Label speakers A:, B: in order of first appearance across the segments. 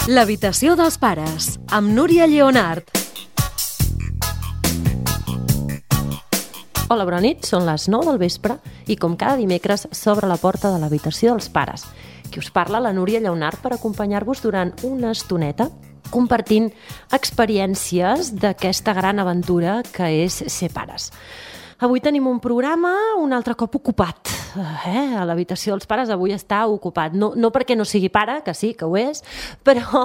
A: L'habitació dels pares, amb Núria Lleonart.
B: Hola, bona nit, són les 9 del vespre i com cada dimecres s'obre la porta de l'habitació dels pares. Qui us parla, la Núria Lleonart, per acompanyar-vos durant una estoneta compartint experiències d'aquesta gran aventura que és ser pares. Avui tenim un programa un altre cop ocupat. A l'habitació dels pares avui està ocupat. No perquè no sigui pare, que sí, que ho és, però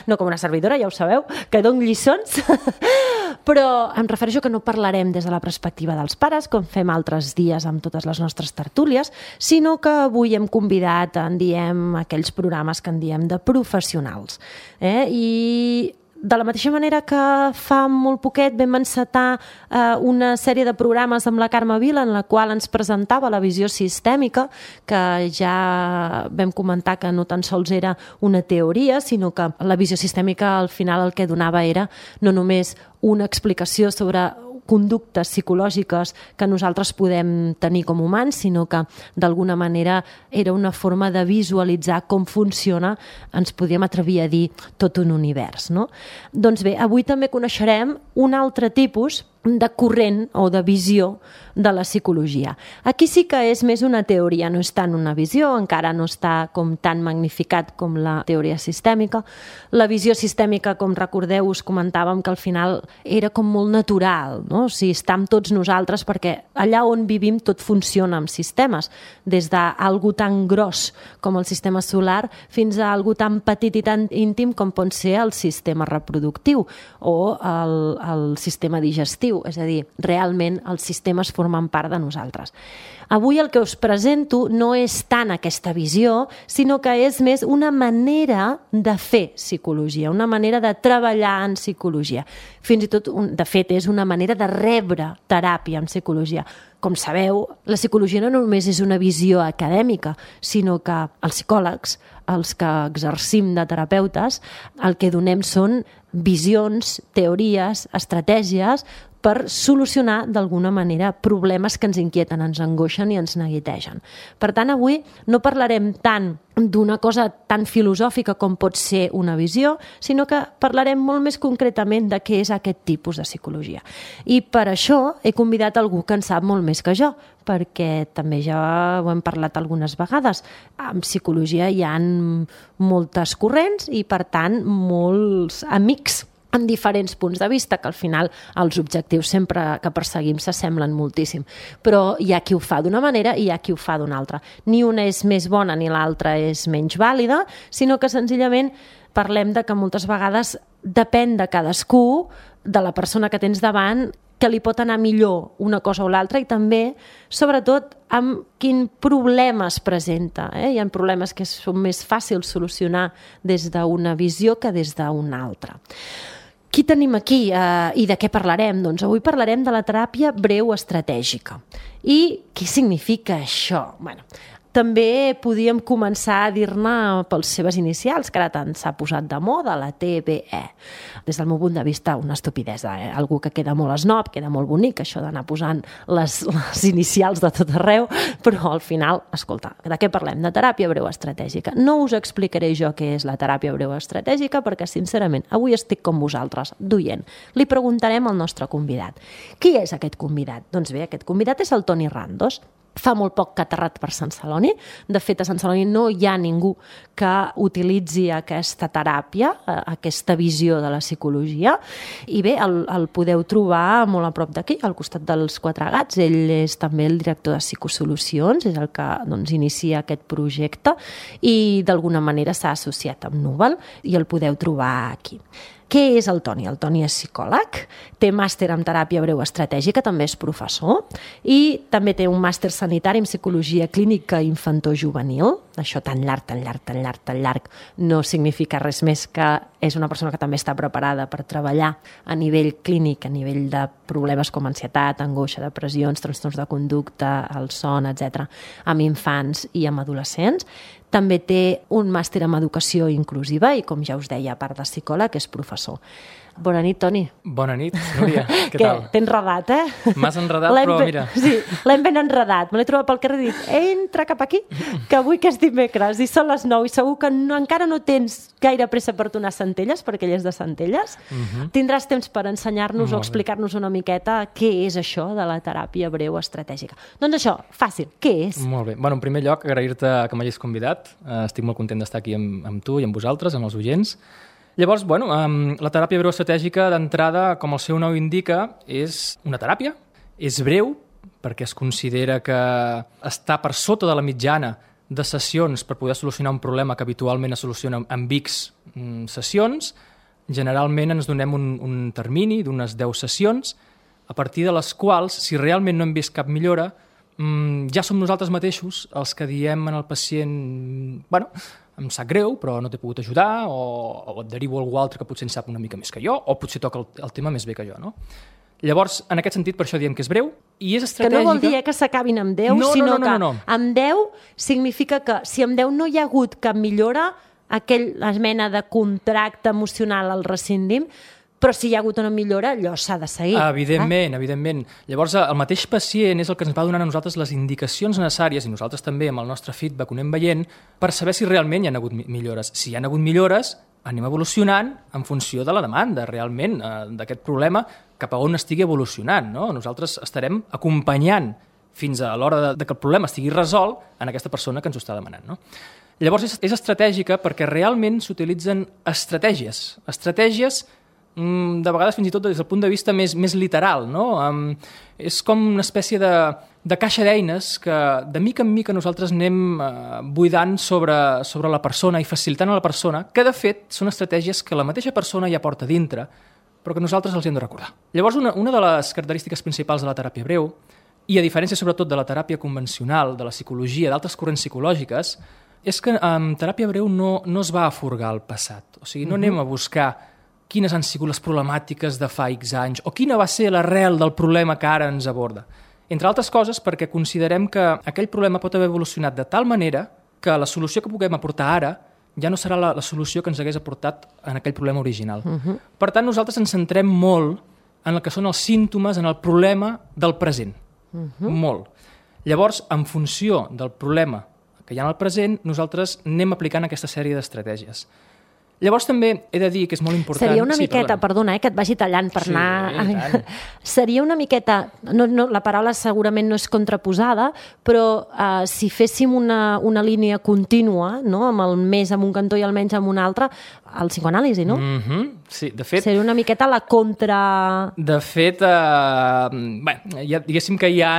B: no com una servidora, ja ho sabeu, que dono lliçons, però em refereixo que no parlarem des de la perspectiva dels pares, com fem altres dies amb totes les nostres tertúlies, sinó que avui hem convidat, en diem, aquells programes que en diem de professionals. I de la mateixa manera que fa molt poquet vam encetar una sèrie de programes amb la Carme Vila en la qual ens presentava la visió sistèmica, que ja vam comentar que no tan sols era una teoria, sinó que la visió sistèmica al final el que donava era no només una explicació sobre conductes psicològiques que nosaltres podem tenir com humans, sinó que d'alguna manera era una forma de visualitzar com funciona, ens podríem atrevir a dir, tot un univers, no? Doncs bé, avui també coneixerem un altre tipus de corrent o de visió de la psicologia. Aquí sí que és més una teoria, no és tant una visió, encara no està com tan magnificat com la teoria sistèmica. La visió sistèmica, com recordeu, us comentàvem que al final era com molt natural, no? O sigui, està amb tots nosaltres perquè allà on vivim tot funciona amb sistemes, des d'algú tan gros com el sistema solar fins a algú tan petit i tan íntim com pot ser el sistema reproductiu o el sistema digestiu. És a dir, realment els sistemes formen part de nosaltres. Avui el que us presento no és tant aquesta visió, sinó que és més una manera de fer psicologia, una manera de treballar en psicologia. Fins i tot, de fet, és una manera de rebre teràpia en psicologia. Com sabeu, la psicologia no només és una visió acadèmica, sinó que els psicòlegs, els que exercim de terapeutes, el que donem són visions, teories, estratègies per solucionar d'alguna manera problemes que ens inquieten, ens angoixen i ens neguitegen. Per tant, avui no parlarem tant d'una cosa tan filosòfica com pot ser una visió, sinó que parlarem molt més concretament de què és aquest tipus de psicologia. I per això he convidat algú que en sap molt més que jo, perquè també ja ho hem parlat algunes vegades. En psicologia hi ha moltes corrents i, per tant, molts amics amb diferents punts de vista, que al final els objectius sempre que perseguim s'assemblen moltíssim. Però hi ha qui ho fa d'una manera i hi ha qui ho fa d'una altra. Ni una és més bona ni l'altra és menys vàlida, sinó que senzillament parlem de que moltes vegades depèn de cadascú, de la persona que tens davant, que li pot anar millor una cosa o l'altra i també, sobretot, amb quin problema es presenta. Hi ha problemes que són més fàcils solucionar des d'una visió que des d'una altra. Qui tenim aquí i de què parlarem? Doncs avui parlarem de la teràpia breu estratègica. I què significa això? També podíem començar a dir-ne pels seves inicials, que ara tant s'ha posat de moda, la TBE. Des del meu punt de vista, una estupidesa. Algú que queda molt esnob, queda molt bonic, això d'anar posant les inicials de tot arreu, però al final, escolta, de què parlem? De teràpia breu estratègica. No us explicaré jo què és la teràpia breu estratègica, perquè, sincerament, avui estic com vosaltres, d'oient. Li preguntarem al nostre convidat. Qui és aquest convidat? Doncs bé, aquest convidat és el Toni Randos. Fa molt poc que ha aterrat per Sant Celoni. De fet, a Sant Celoni no hi ha ningú que utilitzi aquesta teràpia, aquesta visió de la psicologia. I bé, el podeu trobar molt a prop d'aquí, al costat dels Quatre Gats. Ell és també el director de Psicosolucions, és el que inicia aquest projecte i d'alguna manera s'ha associat amb Núvol i el podeu trobar aquí. Què és el Toni? El Toni és psicòleg, té màster en teràpia breu estratègica, també és professor, i també té un màster sanitari en psicologia clínica infantojuvenil. Això tan llarg, no significa res més que és una persona que també està preparada per treballar a nivell clínic, a nivell de problemes com ansietat, angoixa, depressions, trastorns de conducta, el son, etc., amb infants i amb adolescents. També té un màster en educació inclusiva i, com ja us deia, a part de psicòleg, és professor. Bona nit, Toni.
C: Bona nit, Núria. Què tal?
B: T'he enredat,
C: M'has enredat, però mira...
B: Sí, l'hem ben enredat. Me l'he trobat pel carrer i he dit, entra cap aquí, que avui que és dimecres i són les 9 i segur que encara no tens gaire pressa per donar Centelles, perquè ell és de Centelles, tindràs temps per ensenyar-nos o explicar-nos una miqueta què és això de la teràpia breu estratègica. Doncs això, fàcil, què és?
C: Molt bé. En primer lloc, agrair-te que m'hagis convidat. Estic molt content d'estar aquí amb tu i amb vosaltres, amb els oients. Llavors, la teràpia breu estratègica, d'entrada, com el seu nom indica, és una teràpia, és breu, perquè es considera que està per sota de la mitjana de sessions per poder solucionar un problema que habitualment es soluciona amb X sessions. Generalment ens donem un termini d'unes 10 sessions, a partir de les quals, si realment no hem vist cap millora, ja som nosaltres mateixos els que diem al pacient em sap greu, però no t'he pogut ajudar, o et derivo a algú altre que potser en sap una mica més que jo, o potser toca el tema més bé que jo, no? Llavors, en aquest sentit, per això diem que és breu i és estratègica. Que no vol dir que s'acabin amb 10, sinó que amb 10 significa que si amb 10 no hi ha hagut cap millora, aquella mena de contracte emocional el rescindim, però si hi ha hagut una millora, allò s'ha de seguir. Evidentment. Llavors, el mateix pacient és el que ens va donant a nosaltres les indicacions necessàries, i nosaltres també amb el nostre feedback ho anem veient, per saber si realment hi ha hagut millores. Si hi ha hagut millores, anem evolucionant en funció de la demanda, realment, d'aquest problema, cap a on estigui evolucionant, no? Nosaltres estarem acompanyant fins a l'hora que el problema estigui resolt en aquesta persona que ens ho està demanant, no? Llavors, és estratègica perquè realment s'utilitzen estratègies de vegades fins i tot des del punt de vista més literal, no? És com una espècie de caixa d'eines que de mica en mica nosaltres anem buidant sobre la persona i facilitant a la persona, que de fet són estratègies que la mateixa persona ja porta dintre, però que nosaltres els hem de recordar. Llavors, una de les característiques principals de la teràpia breu, i a diferència sobretot de la teràpia convencional, de la psicologia, d'altres corrents psicològiques, és que en teràpia breu no es va a furgar el passat. O sigui, no anem a buscar quines han sigut les problemàtiques de fa X anys o quina va ser l'arrel del problema que ara ens aborda. Entre altres coses perquè considerem que aquell problema pot haver evolucionat de tal manera que la solució que puguem aportar ara ja no serà la solució que ens hagués aportat en aquell problema original. Per tant, nosaltres ens centrem molt en el que són els símptomes, en el problema del present. Molt. Llavors, en funció del problema que hi ha en el present, nosaltres anem aplicant aquesta sèrie d'estratègies. Llavors també he de dir que és molt important...
B: Seria una miqueta, perdona, que et vagi tallant per anar... Seria una miqueta... la paraula segurament no és contraposada, però si féssim una línia contínua, no? Amb el més en un cantó i el menys en un altre, el psicoanàlisi, no?
C: Sí, de fet...
B: Seria una miqueta la contra...
C: De fet, diguéssim que hi ha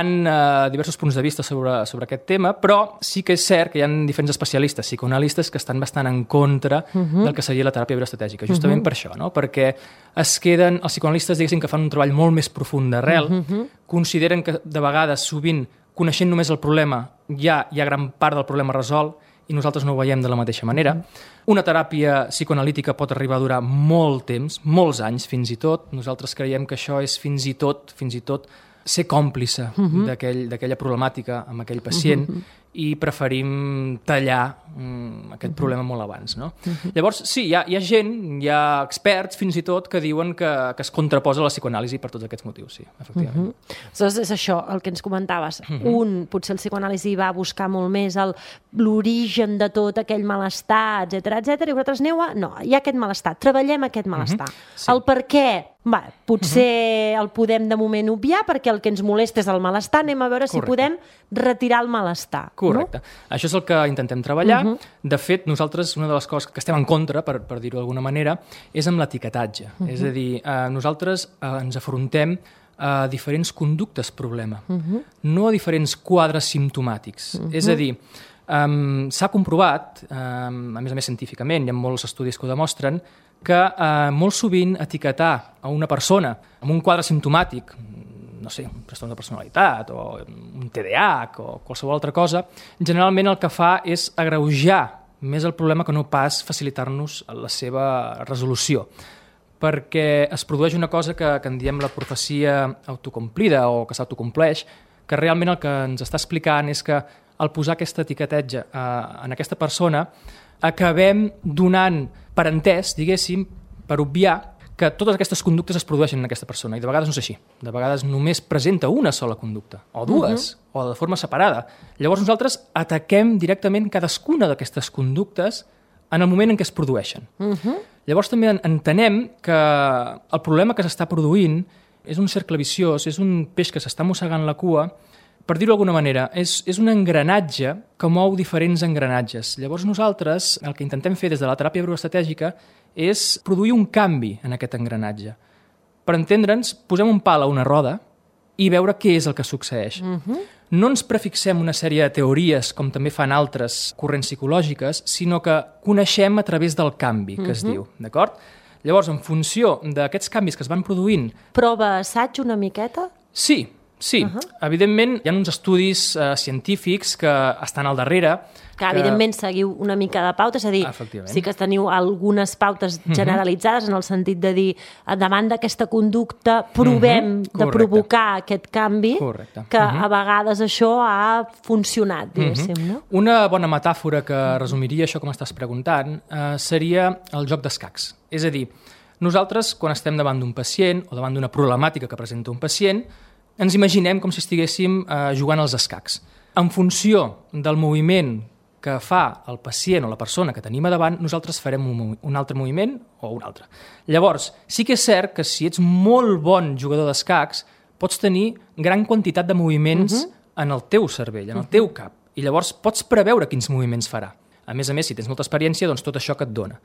C: diversos punts de vista sobre aquest tema, però sí que és cert que hi ha diferents especialistes, psicoanalistes, que estan bastant en contra del que seria la teràpia breu estratègica, justament per això, no? Perquè els psicoanalistes, diguéssim, que fan un treball molt més profund d'arrel, consideren que de vegades, sovint, coneixent només el problema, ja hi ha gran part del problema resolt, i nosaltres no ho veiem de la mateixa manera. Una teràpia psicoanalítica pot arribar a durar molt temps, molts anys fins i tot. Nosaltres creiem que això és fins i tot ser còmplice d'aquella problemàtica amb aquell pacient i preferim tallar aquest problema molt abans, no? Llavors, sí, hi ha gent, hi ha experts fins i tot que diuen que es contraposa a la psicoanàlisi per tots aquests motius, sí, efectivament.
B: Doncs és això, el que ens comentaves. Potser el psicoanàlisi va buscar molt més l'origen de tot aquell malestar, etc, i vosaltres aneu no, hi ha aquest malestar, treballem aquest malestar. El per què, potser el podem de moment obviar perquè el que ens molesta és el malestar, anem a veure si podem retirar el malestar.
C: Correcte. Això és el que intentem treballar. De fet, nosaltres, una de les coses que estem en contra, per dir-ho d'alguna manera, és amb l'etiquetatge. És a dir, nosaltres ens afrontem a diferents conductes problema, no a diferents quadres simptomàtics. És a dir, s'ha comprovat, a més científicament, hi ha molts estudis que ho demostren, que molt sovint etiquetar a una persona amb un quadre simptomàtic, no sé, un trastorn de personalitat o un TDAH o qualsevol altra cosa, generalment el que fa és agreujar més el problema que no pas facilitar-nos la seva resolució. Perquè es produeix una cosa que en diem la profecia autocomplida o que s'autocompleix, que realment el que ens està explicant és que al posar aquesta etiquetatge en aquesta persona acabem donant per entès, diguéssim, per obviar que totes aquestes conductes es produeixen en aquesta persona, i de vegades no és així. De vegades només presenta una sola conducta, o dues, o de forma separada. Llavors nosaltres ataquem directament cadascuna d'aquestes conductes en el moment en què es produeixen. Llavors també entenem que el problema que s'està produint és un cercle viciós, és un peix que s'està mossegant la cua, per dir-ho d'alguna manera, és un engranatge que mou diferents engranatges. Llavors nosaltres el que intentem fer des de la teràpia neuroestratègica és produir un canvi en aquest engranatge. Per entendre'ns, posem un pal a una roda i veure què és el que succeeix. No ens prefixem una sèrie de teories, com també fan altres corrents psicològiques, sinó que coneixem a través del canvi, que es diu, d'acord? Llavors, en funció d'aquests canvis que es van produint...
B: Prova assaig una miqueta?
C: Sí. Evidentment, hi ha uns estudis científics que estan al darrere.
B: Que evidentment seguiu una mica de pautes, és a dir, sí que teniu algunes pautes generalitzades en el sentit de dir, davant d'aquesta conducta provem de provocar aquest canvi, que a vegades això ha funcionat, diguéssim. No?
C: Una bona metàfora que resumiria això com estàs preguntant seria el joc d'escacs. És a dir, nosaltres, quan estem davant d'un pacient o davant d'una problemàtica que presenta un pacient, ens imaginem com si estiguéssim jugant als escacs. En funció del moviment que fa el pacient o la persona que tenim a davant, nosaltres farem un altre moviment o un altre. Llavors, sí que és cert que si ets molt bon jugador d'escacs, pots tenir gran quantitat de moviments en el teu cervell, en el teu cap, i llavors pots preveure quins moviments farà. A més, si tens molta experiència, doncs tot això que et dona.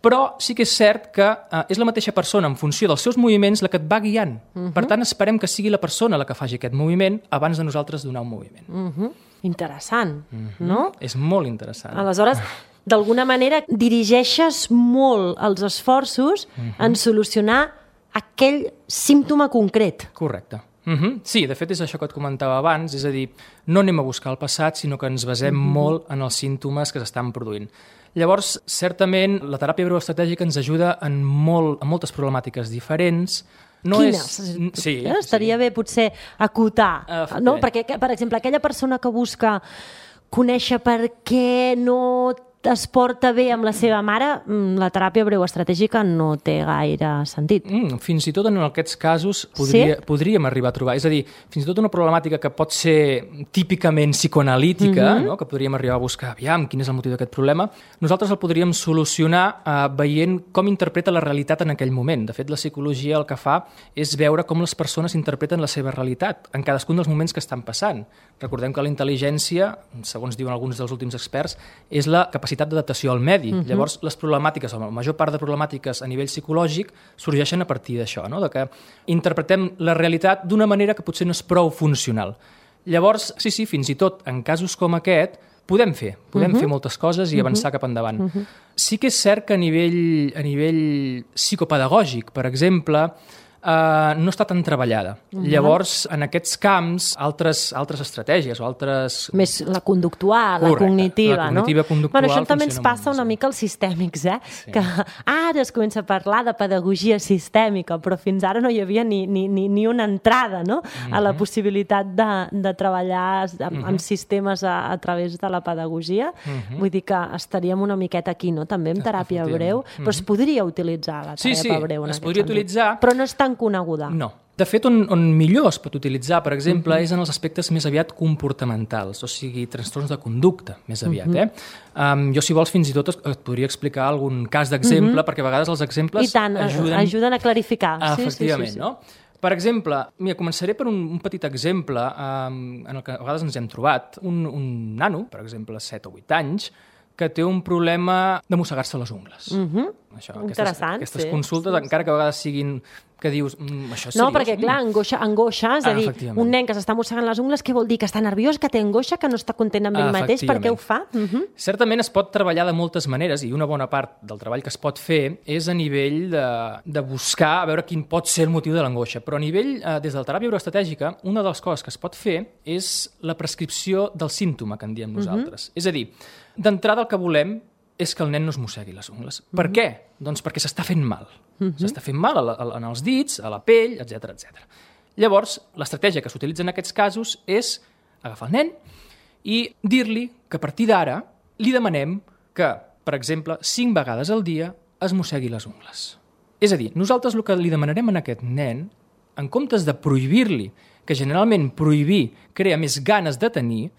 C: Però sí que és cert que és la mateixa persona, en funció dels seus moviments, la que et va guiant. Per tant, esperem que sigui la persona la que faci aquest moviment abans de nosaltres donar un moviment.
B: Interessant, no?
C: És molt interessant.
B: Aleshores, d'alguna manera, dirigeixes molt els esforços en solucionar aquell símptoma concret.
C: Correcte. Sí, de fet és això que et comentava abans, és a dir, no anem a buscar el passat, sinó que ens basem molt en els símptomes que s'estan produint. Llavors, certament, la teràpia neuroestratègica ens ajuda en moltes problemàtiques diferents.
B: Quines? Sí, estaria bé potser acotar, no? Perquè, per exemple, aquella persona que busca conèixer per què no es porta bé amb la seva mare, la teràpia breuestratègica no té gaire sentit.
C: Fins i tot en aquests casos podríem arribar a trobar. És a dir, fins i tot una problemàtica que pot ser típicament psicoanalítica, que podríem arribar a buscar, aviam, quin és el motiu d'aquest problema, nosaltres el podríem solucionar veient com interpreta la realitat en aquell moment. De fet, la psicologia el que fa és veure com les persones interpreten la seva realitat en cadascun dels moments que estan passant. Recordem que la intel·ligència, segons diuen alguns dels últims experts, és la capacitat d'adaptació al medi. Llavors, les problemàtiques, o la major part de problemàtiques a nivell psicològic, sorgeixen a partir d'això, de que interpretem la realitat d'una manera que potser no és prou funcional. Llavors, sí, fins i tot en casos com aquest, podem fer moltes coses i avançar cap endavant. Sí que és cert que a nivell psicopedagògic, per exemple, no està tan treballada. Llavors, en aquests camps, altres estratègies o altres...
B: Més la conductual, la cognitiva, no?
C: La cognitiva conductual.
B: Això també ens passa una mica als sistèmics, que ara es comença a parlar de pedagogia sistèmica, però fins ara no hi havia ni una entrada, no? A la possibilitat de treballar amb sistemes a través de la pedagogia. Vull dir que estaríem una miqueta aquí, no? També amb teràpia breu, però es podria utilitzar la teràpia breu en aquest sentit.
C: Es podria utilitzar.
B: Però no és tan coneguda.
C: No. De fet, on millor es pot utilitzar, per exemple, és en els aspectes més aviat comportamentals, o sigui, trastorns de conducta, més aviat. Jo, si vols, fins i tot et podria explicar algun cas d'exemple, perquè a vegades els exemples
B: ajuden a clarificar.
C: Efectivament, no? Per exemple, començaré per un petit exemple en el que a vegades ens hem trobat. Un nano, per exemple, 7 o 8 anys, que té un problema de mossegar-se les ungles.
B: Interessant.
C: Aquestes consultes, encara que a vegades siguin que dius, això és seriós.
B: No, perquè clar, angoixa, és a dir, un nen que s'està mossegant les ungles, què vol dir? Que està nerviós, que té angoixa, que no està content amb ell mateix, per què ho fa?
C: Certament es pot treballar de moltes maneres, i una bona part del treball que es pot fer és a nivell de buscar, a veure quin pot ser el motiu de l'angoixa. Però a nivell, des de la teràpia neuroestratègica, una de les coses que es pot fer és la prescripció del símptoma, que en diem nosaltres. És a dir, d'entrada el que volem és que el nen no es mossegui les ungles. Per què? Doncs perquè s'està fent mal. S'està fent mal en els dits, a la pell, etc. Llavors, l'estratègia que s'utilitza en aquests casos és agafar el nen i dir-li que a partir d'ara li demanem que, per exemple, 5 vegades al dia es mossegui les ungles. És a dir, nosaltres el que li demanarem a aquest nen, en comptes de prohibir-li, que generalment prohibir crea més ganes de tenir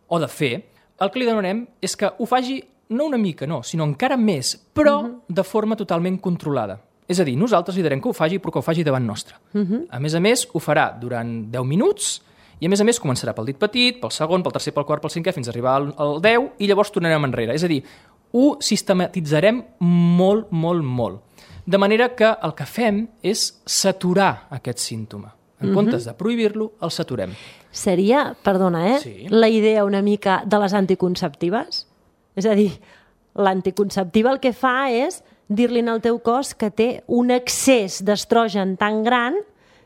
C: o de fer, el que li demanarem és que ho faci no una mica, no, sinó encara més, però de forma totalment controlada. És a dir, nosaltres li direm que ho faci, però que ho faci davant nostre. A més, ho farà durant 10 minuts i, a més, començarà pel dit petit, pel segon, pel tercer, pel quart, pel cinquè, fins a arribar al 10 i llavors tornarem enrere. És a dir, ho sistematitzarem molt, molt, molt. De manera que el que fem és saturar aquest símptoma. En comptes de prohibir-lo, el saturem.
B: Seria, perdona,
C: Sí.
B: la idea una mica de les anticonceptives? És a dir, l'anticonceptiva el que fa és dir-li al teu cos que té un excés d'estrogen tan gran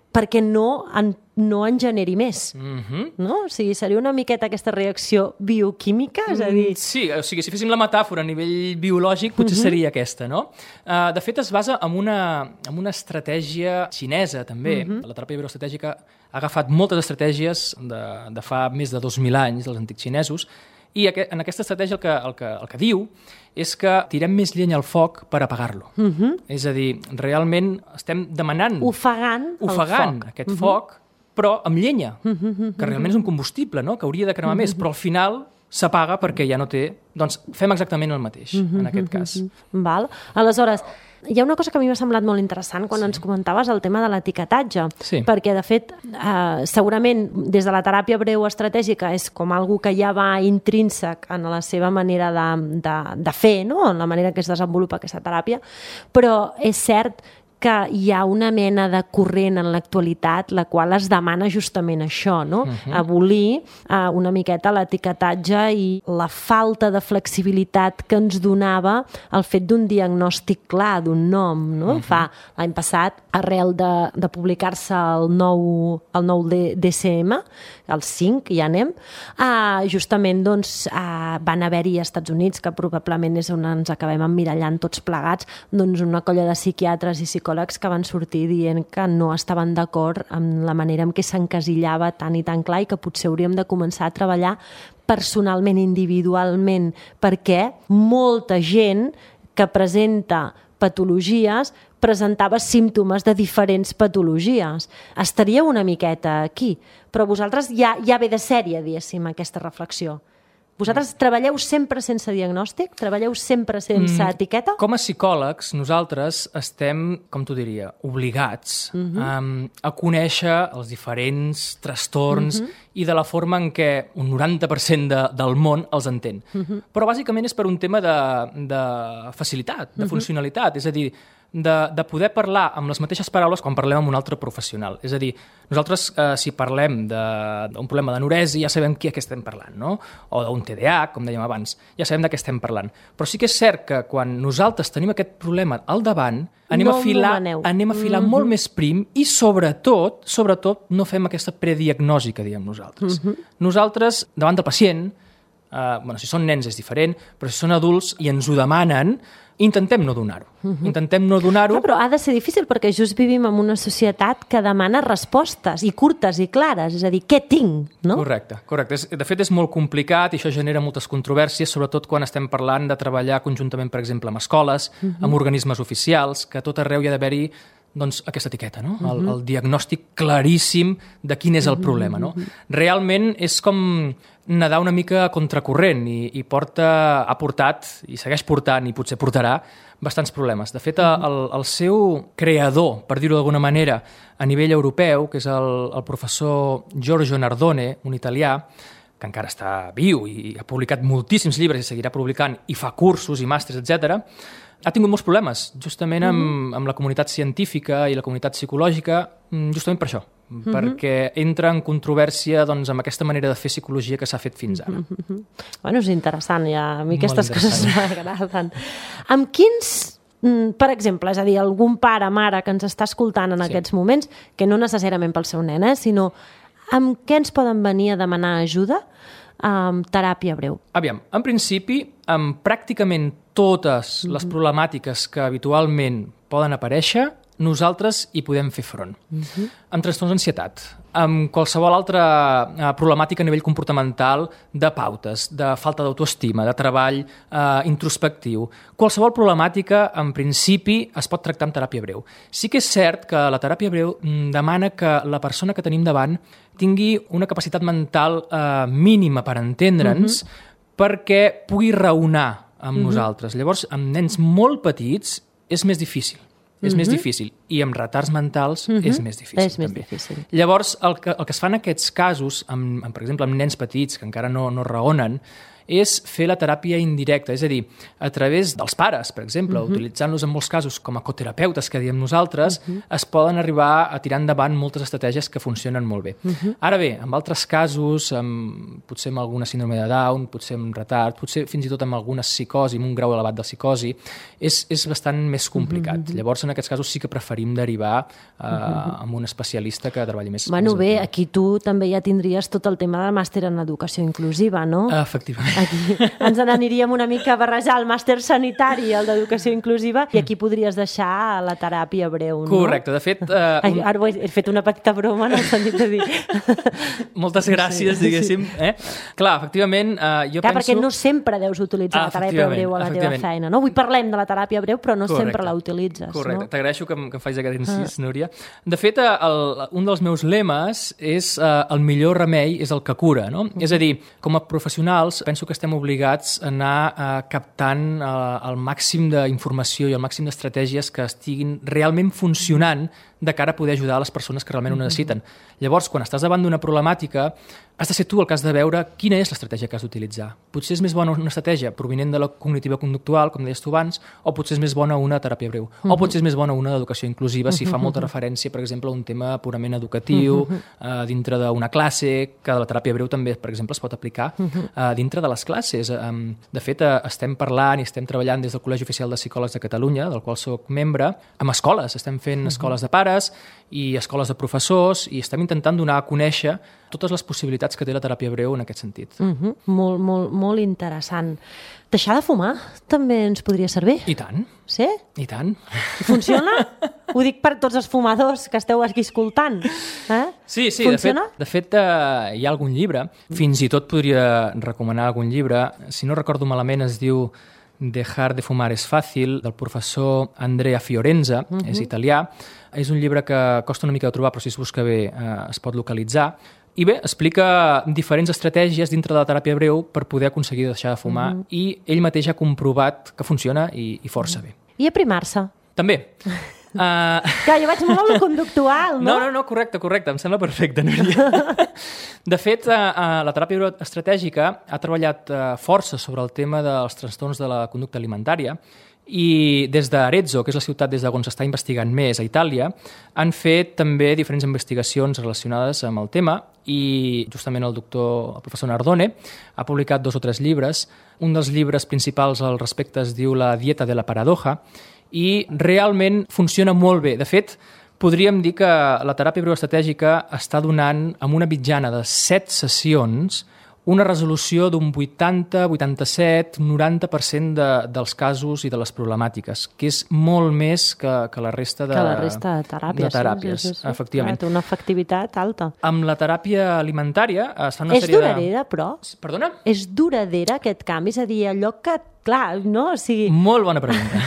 B: perquè no en generi més. No? O sigui, seria una miqueta aquesta reacció bioquímica? És a dir...
C: Sí, o sigui, si féssim la metàfora a nivell biològic, potser seria aquesta, no? De fet, es basa en una estratègia xinesa, també. La teràpia bioestratègica ha agafat moltes estratègies de fa més de 2.000 anys, dels antics xinesos, i en aquesta estratègia el que diu és que tirem més llenya al foc per apagar-lo. És a dir, realment estem demanant...
B: Ofegant el foc.
C: Aquest foc, però amb llenya, que realment és un combustible, no? Que hauria de cremar més, però al final s'apaga perquè ja no té... Doncs fem exactament el mateix, en aquest cas.
B: Val. Aleshores, hi ha una cosa que a mi m'ha semblat molt interessant quan ens comentaves el tema de l'etiquetatge, perquè, de fet, segurament, des de la teràpia breu estratègica és com algo que ja va intrínsec en la seva manera de fer, no? En la manera que es desenvolupa aquesta teràpia, però és cert que hi ha una mena de corrent en l'actualitat la qual es demana justament això, no? Abolir una miqueta l'etiquetatge i la falta de flexibilitat que ens donava el fet d'un diagnòstic clar, d'un nom, no? Fa l'any passat, arrel de publicar-se el nou DSM, el 5, ja anem, justament doncs, van haver-hi als Estats Units, que probablement és on ens acabem emmirallant tots plegats, doncs una colla de psiquiatres i psicòlegs que van sortir dient que no estaven d'acord amb la manera en què s'encasillava tan i tan clar i que potser hauríem de començar a treballar personalment, individualment, perquè molta gent que presenta patologies presentava símptomes de diferents patologies. Estaria una miqueta aquí, però vosaltres ja ve de sèrie, diguéssim, aquesta reflexió. Vosaltres treballeu sempre sense diagnòstic? Treballeu sempre sense etiqueta?
C: Com a psicòlegs, nosaltres estem, com t'ho diria, obligats a conèixer els diferents trastorns i de la forma en què un 90% del món els entén. Però bàsicament és per un tema de facilitat, de funcionalitat, és a dir, de poder parlar amb les mateixes paraules quan parlem amb un altre professional. És a dir, nosaltres, si parlem d'un problema d'anorèsia, ja sabem què estem parlant, no? O d'un TDAH, com dèiem abans, ja sabem de què estem parlant. Però sí que és cert que quan nosaltres tenim aquest problema al davant, anem a filar molt més prim i, sobretot, no fem aquesta prediagnosi que diem nosaltres. Nosaltres, davant del pacient, si són nens és diferent, però si són adults i ens ho demanen, intentem no donar-ho. Intentem no donar-ho.
B: Però ha de ser difícil perquè just vivim en una societat que demana respostes i curtes i clares, és a dir, què tinc? No?
C: Correcte. De fet, és molt complicat i això genera moltes controvèrsies, sobretot quan estem parlant de treballar conjuntament, per exemple, amb escoles, amb organismes oficials, que a tot arreu hi ha d'haver-hi doncs, aquesta etiqueta, no? El diagnòstic claríssim de quin és el problema. No? Realment és com nedar una mica a contracorrent i ha portat, i segueix portant, i potser portarà, bastants problemes. De fet, el seu creador, per dir-ho d'alguna manera, a nivell europeu, que és el professor Giorgio Nardone, un italià, que encara està viu i ha publicat moltíssims llibres i seguirà publicant, i fa cursos i màsters, etc., ha tingut molts problemes, justament amb la comunitat científica i la comunitat psicològica, justament per això, perquè entra en controvèrsia amb aquesta manera de fer psicologia que s'ha fet fins ara.
B: Bueno, és interessant, a mi aquestes coses m'agraden. Amb quins, per exemple, és a dir, algun pare, mare que ens està escoltant en aquests moments, que no necessàriament pel seu nen, sinó amb què ens poden venir a demanar ajuda amb teràpia breu?
C: Aviam, en principi, amb pràcticament totes les problemàtiques que habitualment poden aparèixer, nosaltres hi podem fer front. Amb trastorns d'ansietat, amb qualsevol altra problemàtica a nivell comportamental de pautes, de falta d'autoestima, de treball introspectiu. Qualsevol problemàtica, en principi, es pot tractar amb teràpia breu. Sí que és cert que la teràpia breu demana que la persona que tenim davant tingui una capacitat mental mínima per entendre'ns perquè pugui raonar amb nosaltres. Llavors, amb nens molt petits és més difícil. És més difícil. I amb retards mentals és més difícil.
B: És més difícil.
C: Llavors, el que es fa en aquests casos, per exemple, amb nens petits que encara no raonen, és fer la teràpia indirecta, és a dir, a través dels pares, per exemple, utilitzant-los en molts casos com a coterapeutes, que diem nosaltres, es poden arribar a tirar endavant moltes estratègies que funcionen molt bé. Ara bé, en altres casos, potser amb alguna síndrome de Down, potser amb retard, potser fins i tot amb alguna psicosi, amb un grau elevat de psicosi, és bastant més complicat. Llavors, en aquests casos sí que preferim derivar amb un especialista que treballi més.
B: Bueno, bé, aquí tu també ja tindries tot el tema del màster en educació inclusiva, no?
C: Efectivament.
B: Aquí ens n'aniríem una mica a barrejar el màster sanitari i el d'educació inclusiva i aquí podries deixar la teràpia breu, no?
C: Correcte, de fet...
B: Ara he fet una petita broma en el sentit de dir...
C: Moltes gràcies, diguéssim. Clar, efectivament, jo penso...
B: perquè no sempre deus utilitzar la teràpia breu a la teva feina, no? Avui parlem de la teràpia breu, però no sempre la utilitzes,
C: correcte.
B: No?
C: T'agraeixo que em facis aquest incís, Núria. De fet, un dels meus lemes és el millor remei és el que cura, no? És a dir, com a professionals, penso que estem obligats a anar captant el màxim d'informació i el màxim d'estratègies que estiguin realment funcionant de cara a poder ajudar a les persones que realment ho necessiten. Llavors, quan estàs davant d'una problemàtica, has de ser tu el que has de veure quina és l'estratègia que has d'utilitzar. Potser és més bona una estratègia provinent de la cognitiva conductual, com deies tu abans, o potser és més bona una teràpia breu, o potser és més bona una d'educació inclusiva, si fa molta referència, per exemple, a un tema purament educatiu, dintre d'una classe, que la teràpia breu també, per exemple, es pot aplicar dintre de les classes. De fet, estem parlant i estem treballant des del Col·legi Oficial de Psicòlegs de Catalunya, del qual soc membre, amb escoles. Estem fent escoles de pares i escoles de professors i estem intentant donar a conèixer totes les possibilitats que té la teràpia breu en aquest sentit.
B: Molt interessant. Deixar de fumar també ens podria servir?
C: I tant.
B: Sí?
C: I tant.
B: Funciona? Ho dic per tots els fumadors que esteu aquí escoltant.
C: Sí,
B: funciona?
C: De fet hi ha algun llibre, fins i tot podria recomanar algun llibre, si no recordo malament es diu Dejar de fumar es fàcil, del professor Andrea Fiorenza, és italià. És un llibre que costa una mica de trobar, però si es busca bé es pot localitzar. I bé, explica diferents estratègies dintre de la teràpia breu per poder aconseguir deixar de fumar i ell mateix ha comprovat que funciona i força bé.
B: I aprimar-se?
C: També.
B: Clar, jo vaig molt a lo conductual, no?
C: No, correcte, em sembla perfecte, Núria. De fet, la teràpia breu estratègica ha treballat força sobre el tema dels trastorns de la conducta alimentària i des d'Arezzo, que és la ciutat des d'on s'està investigant més a Itàlia, han fet també diferents investigacions relacionades amb el tema i justament el professor Nardone ha publicat 2 o 3 llibres. Un dels llibres principals al respecte es diu La dieta de la paradoja i realment funciona molt bé. De fet, podríem dir que la teràpia breu estratègica està donant, amb una mitjana de 7 sessions, una resolució d'un 80, 87, 90% dels casos i de les problemàtiques, que és molt més que la resta de teràpies.
B: Sí.
C: Efectivament.
B: Té una efectivitat alta.
C: Amb la teràpia alimentària es fan una sèrie de...
B: És duradera, però?
C: Perdona?
B: És duradera aquest canvi? És a dir, allò que... Clar, no? O sigui...
C: Molt bona pregunta.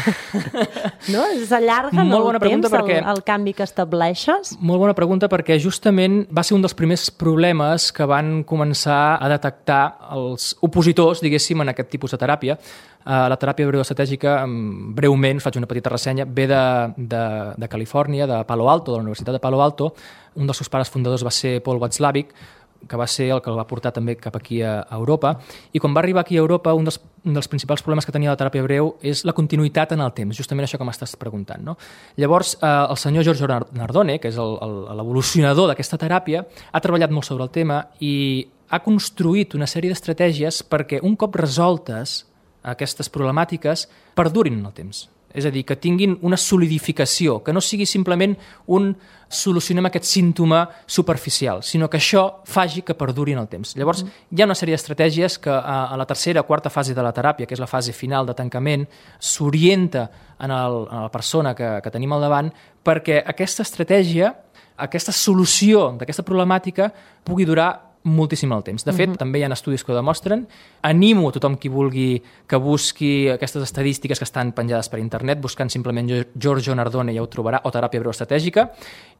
B: No? S'allarga en el temps
C: perquè...
B: el canvi que estableixes?
C: Molt bona pregunta perquè justament va ser un dels primers problemes que van començar a detectar els opositors, diguéssim, en aquest tipus de teràpia. La teràpia breu estratègica, breument, faig una petita ressenya, ve de Califòrnia, de Palo Alto, de la Universitat de Palo Alto. Un dels seus pares fundadors va ser Paul Watzlawick, que va ser el que el va portar també cap aquí a Europa. I quan va arribar aquí a Europa, un dels principals problemes que tenia la teràpia breu és la continuïtat en el temps, justament això que m'estàs preguntant, no? Llavors, el senyor Giorgio Nardone, que és l'evolucionador d'aquesta teràpia, ha treballat molt sobre el tema i ha construït una sèrie d'estratègies perquè un cop resoltes aquestes problemàtiques perdurin en el temps. és a dir, que tinguin una solidificació, que no sigui simplement un solucionem aquest símptoma superficial, sinó que això faci que perduri en el temps. Llavors, hi ha una sèrie d'estratègies que a la tercera o quarta fase de la teràpia, que és la fase final de tancament, s'orienta a la persona que tenim al davant perquè aquesta estratègia, aquesta solució d'aquesta problemàtica pugui durar moltíssim el temps. De fet, també hi ha estudis que ho demostren. Animo a tothom qui vulgui que busqui aquestes estadístiques que estan penjades per internet, buscant simplement Giorgio Nardone, ja ho trobarà, o teràpia breuestratègica,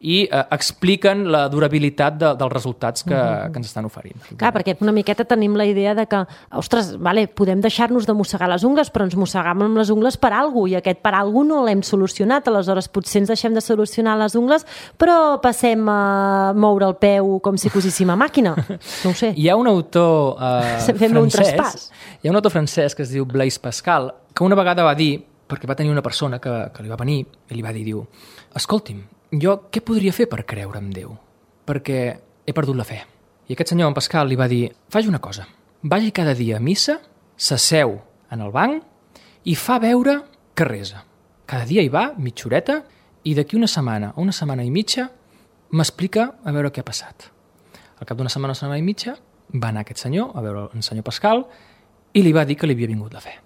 C: i expliquen la durabilitat dels resultats que ens estan oferint.
B: Clar, perquè una miqueta tenim la idea de que, ostres, vale, podem deixar-nos de mossegar les ungles, però ens mossegam amb les ungles per alguna cosa, i aquest per alguna cosa no l'hem solucionat, aleshores potser ens deixem de solucionar les ungles, però passem a moure el peu com si cosíssim a màquina. No ho sé.
C: Hi ha un autor
B: francès,
C: que es diu Blaise Pascal, que una vegada va dir, perquè va tenir una persona que li va venir i li va dir, diu, escolti'm, jo què podria fer per creure en Déu? Perquè he perdut la fe. I aquest senyor, en Pascal, li va dir, faci una cosa, vagi cada dia a missa, s'asseu en el banc i fa veure que resa. Cada dia hi va, mitja horeta, i d'aquí una setmana o una setmana i mitja m'explica a veure què ha passat. Al cap d'una setmana i mitja, va anar aquest senyor a veure el senyor Pascal i li va dir que li havia vingut la fe.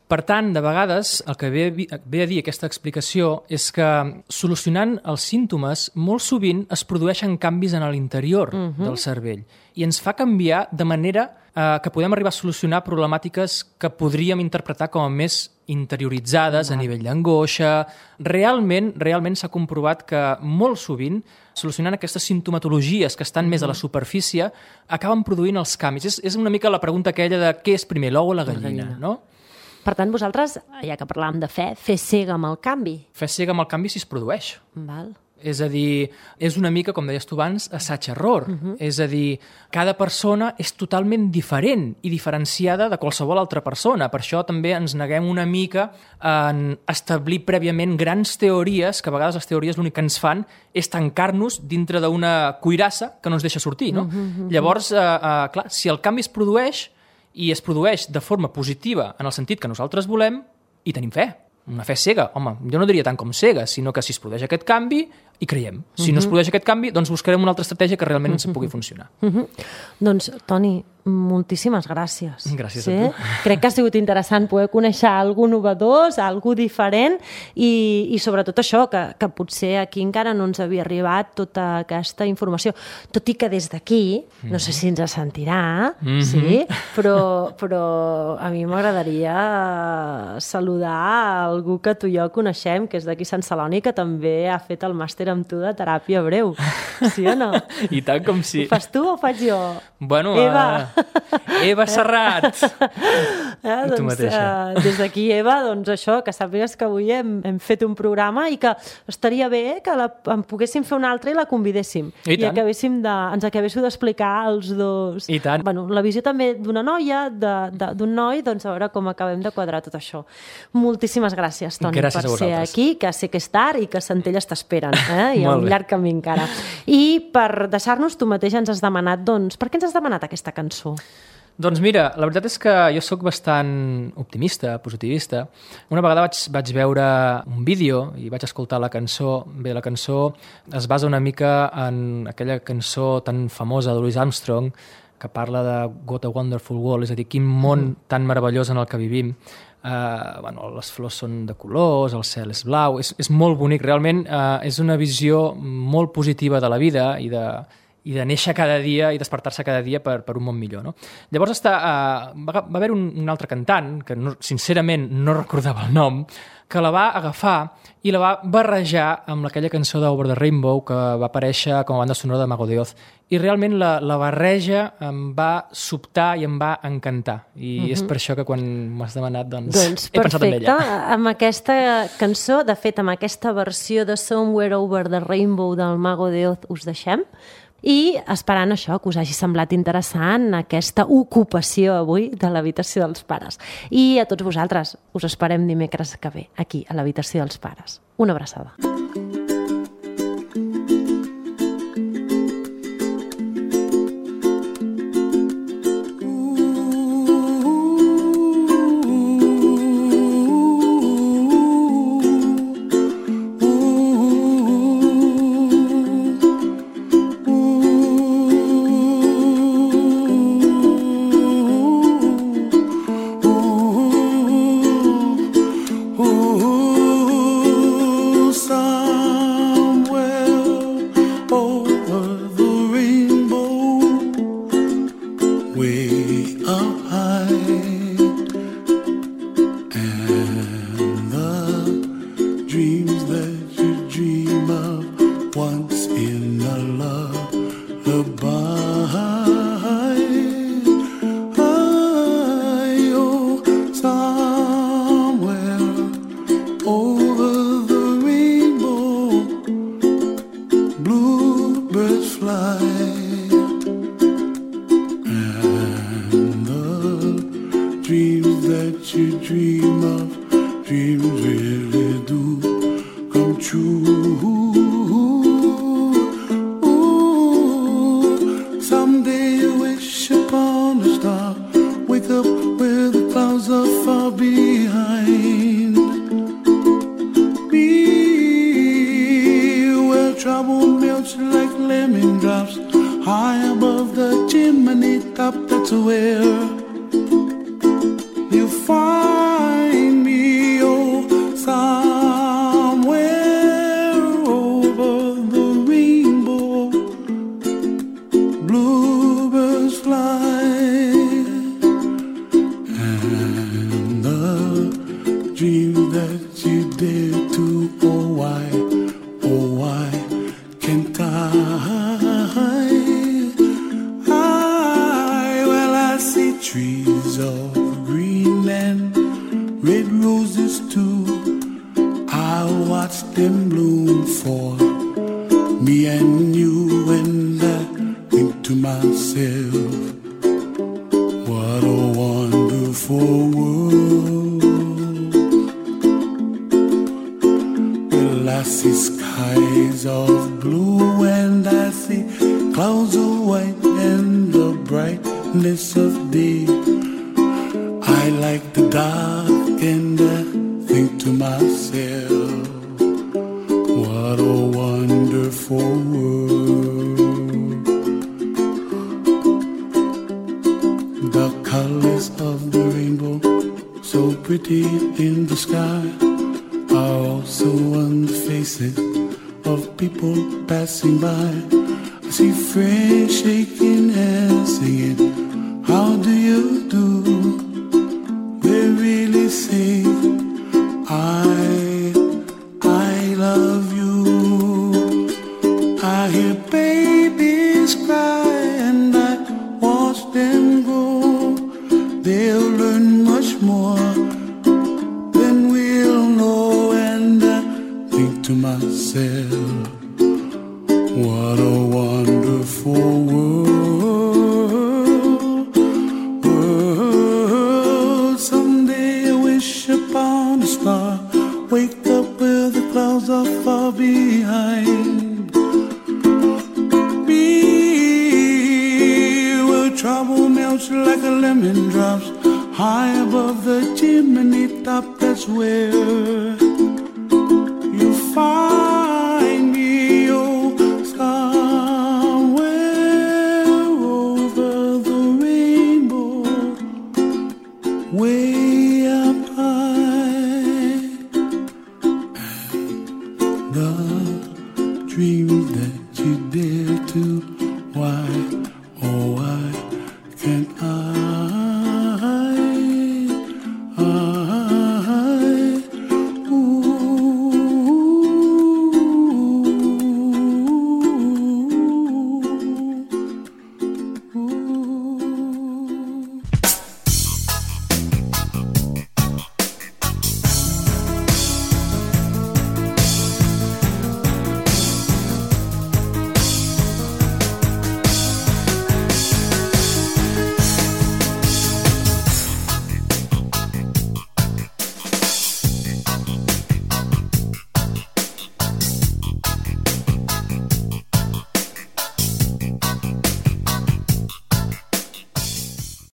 C: Per tant, de vegades, el que ve a dir aquesta explicació és que solucionant els símptomes, molt sovint es produeixen canvis en l'interior del cervell i ens fa canviar de manera que podem arribar a solucionar problemàtiques que podríem interpretar com a més interioritzades a nivell d'angoixa. Realment s'ha comprovat que molt sovint, solucionant aquestes simptomatologies que estan més a la superfície, acaben produint els canvis. És una mica la pregunta aquella de què és primer, l'ou o la gallina, no?
B: Per tant, vosaltres, ja que parlàvem de fe, fer cega amb el canvi.
C: Fer cega amb el canvi si es produeix.
B: Val.
C: És a dir, és una mica, com deies tu abans, assaig-error. És a dir, cada persona és totalment diferent i diferenciada de qualsevol altra persona. Per això també ens neguem una mica en establir prèviament grans teories, que a vegades les teories l'únic que ens fan és tancar-nos dintre d'una cuirassa que no ens deixa sortir, no? Llavors, clar, si el canvi es produeix i es produeix de forma positiva en el sentit que nosaltres volem, hi tenim fe. Una fe cega, home, jo no diria tant com cega, sinó que si es produeix aquest canvi, hi creiem. Si no es produeix aquest canvi, doncs buscarem una altra estratègia que realment ens pugui funcionar.
B: Doncs, Toni, moltíssimes gràcies.
C: Gràcies a tu.
B: Crec que ha sigut interessant poder conèixer algú novedós, algú diferent i sobretot això, que potser aquí encara no ens havia arribat tota aquesta informació. Tot i que des d'aquí, no sé si ens sentirà, sí, però a mi m'agradaria saludar algú que tu i jo coneixem, que és d'aquí Sant Celoni, que també ha fet el màster amb tu de teràpia breu. Sí o no?
C: I tant com sí.
B: Ho fas tu o ho faig jo?
C: Bueno, Eva Serrat. Tu mateixa.
B: Des d'aquí, Eva, doncs això, que sàpigues que avui hem fet un programa i que estaria bé que en poguéssim fer un altre i la convidéssim. I ens acabéssiu d'explicar els dos.
C: I tant.
B: Bueno, la visió també d'una noia, d'un noi, doncs a veure com acabem de quadrar tot això. Moltíssimes gràcies, Toni, per ser aquí, que sé que és tard i que Centelles t'esperen. Hi ha un llarg camí encara. I per deixar-nos, tu mateix ens has demanat, doncs, per què ens has demanat aquesta cançó?
C: Doncs mira, la veritat és que jo sóc bastant optimista, positivista. Una vegada vaig veure un vídeo i vaig escoltar la cançó. Bé, la cançó es basa una mica en aquella cançó tan famosa de Louis Armstrong que parla de What a Wonderful World, és a dir, quin món tan meravellós en el que vivim. Les flors són de colors, el cel és blau, és molt bonic, realment és una visió molt positiva de la vida i de néixer cada dia i despertar-se cada dia per un món millor, no? Llavors va haver un altre cantant, que sincerament no recordava el nom, que la va agafar i la va barrejar amb aquella cançó d'Over the Rainbow que va aparèixer com a banda sonora de Mago de Oz. I realment la barreja em va sobtar i em va encantar. I és per això que quan m'has demanat, doncs he pensat en ella.
B: Perfecte. Amb aquesta cançó, de fet, amb aquesta versió de Somewhere Over the Rainbow del Mago de Oz us deixem. I esperant això, que us hagi semblat interessant aquesta ocupació avui de l'habitació dels pares. I a tots vosaltres us esperem dimecres que ve, aquí, a l'habitació dels pares. Una abraçada.
D: And the dreams that you dream of once in a lullaby, oh, somewhere over the rainbow, bluebirds fly. And the dreams that you dream of, dreams really do come true. Ooh, someday you wish upon a star, wake up where the clouds are far behind me, where trouble melts like lemon drops high above the chimney top. That's where you find me, oh, somewhere over the rainbow, bluebirds fly. And the dream that you dare to, oh why can't well, I see trees of green and red roses too. I watch them bloom for me and you, and I think to myself, what a wonderful world. Well, I see skies of blue and I see clouds of white and the brightness of day. I like the dark and I think to myself, what a wonderful world. The colors of the rainbow, so pretty in the sky, are also on the faces of people passing by. I see friends shaking hands, singing, how do you do? They really say, I love you. I hear babies cry and I watch them grow. They'll learn much more than we'll know, and I think to myself, what a wonderful world. Someday I wish upon a star, wake up where the clouds are far behind me, where trouble melts like a lemon drops high above the chimney top. That's where